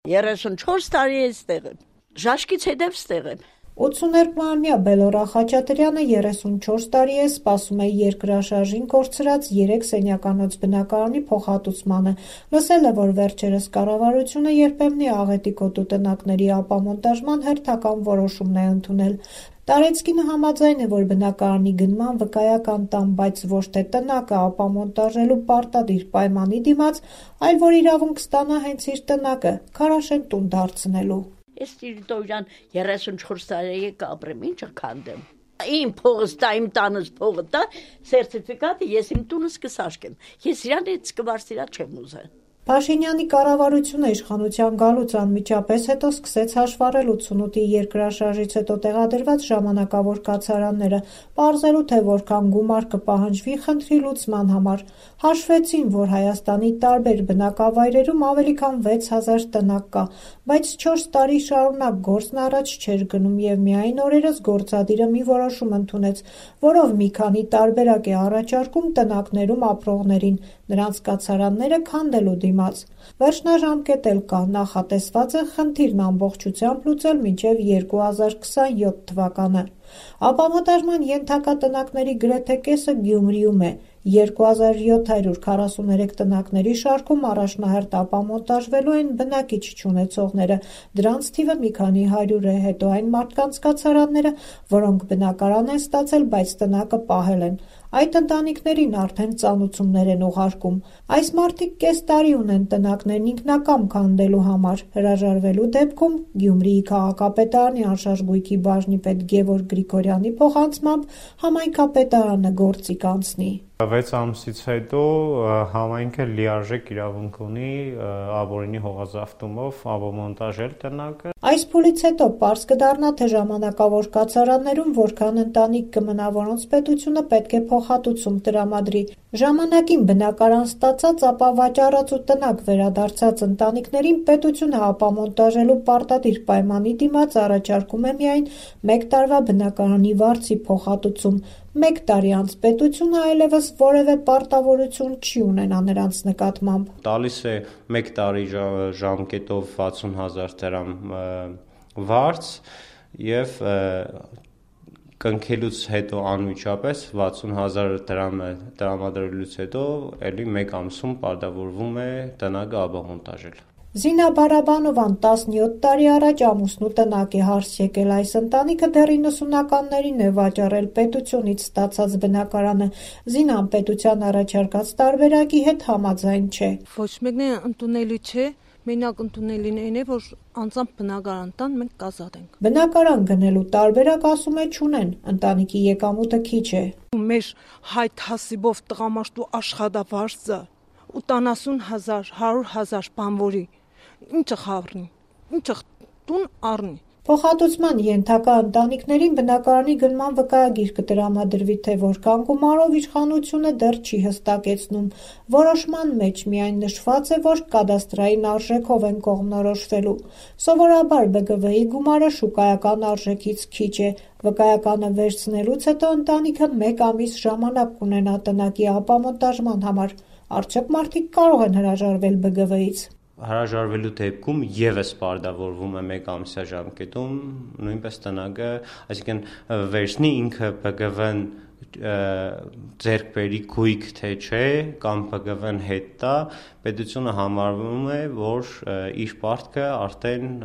34 տարի է ստեղ եմ, ժաշկից հետև ստեղ եմ։ 82-ամյա Բելորա Խաչատրյանը 34 տարի է սպասում է երկրաշարժին կորցրած 3 սենյականոց բնակարանի փոխհատուցմանը։ Լսել է, որ վերջերս կառավարությունը երբեմնի աղետի կոտու տնակների ապամոնտաժման հերթական որոշումն է ընդունել։ Տարեցկինը համաձայն է, որ բնակարանի գնման վկայական տան, բայց ոչ թե տնակը ապամոնտաժելու պարտադիր պայմանի դիմաց, այլ որ իրավունք ստանա հենց իր տնակը Քարաշեն տուն դարձնելու։ Ես տիրիտորյան 34 տարի կապրեմ, ինչը քանդեմ։ Իմ փողս տա, իմ տանս փողը տա, սերտիֆիկատը ես իմ տունս կսաշկեմ։ Ես իրան հետ կվարսիրա չեմ ուզել։ Փաշինյանի կառավարությունը իշխանության գալուց անմիջապես հետո սկսեց հաշվառել 88-ի երկրաշարժից հետո տեղադրված ժամանակավոր կացարանները, պարզելու թե որքան գումար կպահանջվի խնդրի լուծման համար։ Հաշվեցին, որ Հայաստանի տարբեր բնակավայրերում ավելի քան 6000 տնակ կա, բայց 4 տարի շարունակ գործն առաջ չէր գնում եւ միայն օրերս գործադիրը մի որոշում ընդունեց, որով մի քանի տարբերակ է առաջարկում տնակներում ապրողներին, նրանց կացարանները քանդելու դիմաց։ Վերջնաժամկետ էլ կա, նախատեսված է խնդիրն ամբողջությամբ լուծել մինչև 2027 թվականը։ Ապամոնտաժման ենթակա տնակների գրեթե կեսը Գյումրիում է։ 2743 տնակների շարքում առաջնահերթ ապամոնտաժվելու են բնակիչ չունեցողները, դրանց թիվը մի քանի հարյուր է, հետո այն մարդկանց կացարանները, որոնք բնակարան են ստացել, բայց տնակը պահել են։ Այդ ընտանիքներին արդեն ծանուցումներ են ուղարկում։ Այս մարդիկ կես տարի ունեն տնակներն ինքնակամ քանդելու համար։ Հրաժարվելու դեպքում Գյումրիի քաղաքապետարանի անշարժ գույքի բաժնի պետ Գևորգ Գրիգորյանի փոխանցմամբ համայնքապետարանը գործի կանցնի։ 6 ամսից հետո համայնքը լիարժեք իրավունք ունի ապօրինի հողազավթումով ապամոնտաժել տնակը։ Այս փուլից հետո պարզ կդառնա, թե ժամանակավոր կացարաններում որքան ընտանիք կմնա, որոնց պետությունը պետք է փոխհատուցում տրամադրի։ Ժամանակին բնակարան ստացած, ապա վաճառած ու տնակ վերադարձած ընտանիքներին պետությունը ապամոնտաժելու պարտադիր պայմանի դիմաց առաջարկում է միայն 1 տարվա բնակարանի վարձի փոխհատուցում։ 1 տարի անց պետությունը այլևս որևէ պարտավորություն չի ունենա նրանց նկատմամբ։ Տալիս է 1 տարի ժամկետով 60,000 դրամ վարձ եւ կնքելուց հետո անմիջապես 60,000 դրամը տրամադրելուց հետո ելի 1 ամսում պարտավորվում է տնակը ապամոնտաժել։ Զինա Բարաբանովան 17 տարի առաջ ամուսնու տնակ է հարս եկել, այս ընտանիքը դեռ 90-ականներին է վաճառել պետությունից ստացած բնակարանը։ Զինան պետության առաջարկած տարբերակի հետ համաձայն չէ։ Ոչ մեկն ընդունելի չէ, մենակ ընդունելին այն է, որ անձամբ բնակարան տան, մենք կազատենք։ Բնակարան գնելու տարբերակ ասում է չունեն, ընտանիքի եկամուտը քիչ է։ Մեր հայտ հասիբով տղամարդու աշխատավարձը 80,000, 100,000 բանվորի ինչը խառնի, ինչը տուն առնի։ Փոխհատուցման ենթակա ընտանիքներին բնակարանի գնման վկայագիր կտրամադրվի, թե որքան գումարով իշխանությունը դեռ չի հստակեցնում։ Որոշման մեջ միայն նշված է, որ կադաստրային արժեքով են կողմնորոշվելու։ Սովորաբար ԲԳՎ-ի գումարը շուկայական արժեքից քիչ է։ Վկայականը վերցնելուց հետո ընտանիքը 1 ամիս ժամանակ կունենա տնակի ապամոնտաժման համար։ Արդյոք մարդիկ կարող են հրաժարվել ԲԳՎ-ից։ Հրաժարվելու դեպքում եւս պարտավորվում է 1 ամսյա ժամկետում նույնպես տնակը, այսինքն վերցնի ինքը ԲԳՎ-ն ձեռք բերի գույք թե չէ կամ ԲԳՎ-ն հետ տա, պետությունը համարվում է, որ իր պարտքը արդեն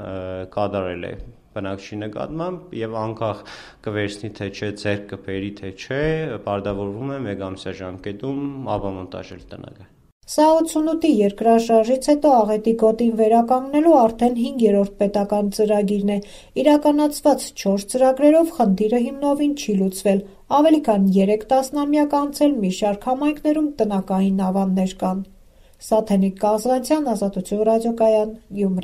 կատարել է բնակչի նկատմամբ եւ անկախ կվերցնի թե չէ, ձեռք կբերի թե չէ, պարտավորվում է 1 ամսյա ժամկետում ապամոնտաժել տնակը։ Սա 88-ի երկրաշարժից հետո աղետի գոտին վերականգնելու արդեն 5-րդ պետական ծրագիրն է։ Իրականացված 4 ծրագրերով խնդիրը հիմնովին չի լուծվել։ Ավելի քան 3 տասնամյակ անց էլ մի շարք համայնքներում տնակային ավաններ կան։ Սաթենիկ Կազանցյան, Ազատություն ռադիոկայան, Գյումրի։